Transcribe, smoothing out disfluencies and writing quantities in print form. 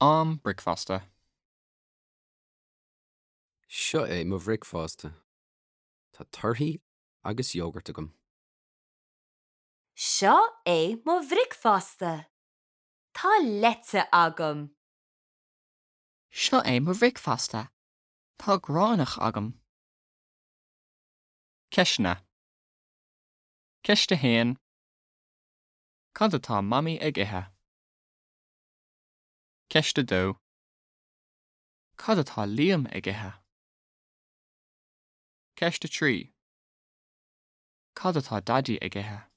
Am bricfeasta. Seo é mo bhricfeasta. Tá torthaí agus iógart agam. Seo é mo bhricfeasta. Tá leite agam. Seo é mo bhricfeasta. Tá gránach agam. Ceisteanna. Ceist 1. Cad atá Mamaí ag ithe? Ceist 2. Cad atá Liam ag ithe? Ceist 3. Cad atá Daidí ag ithe?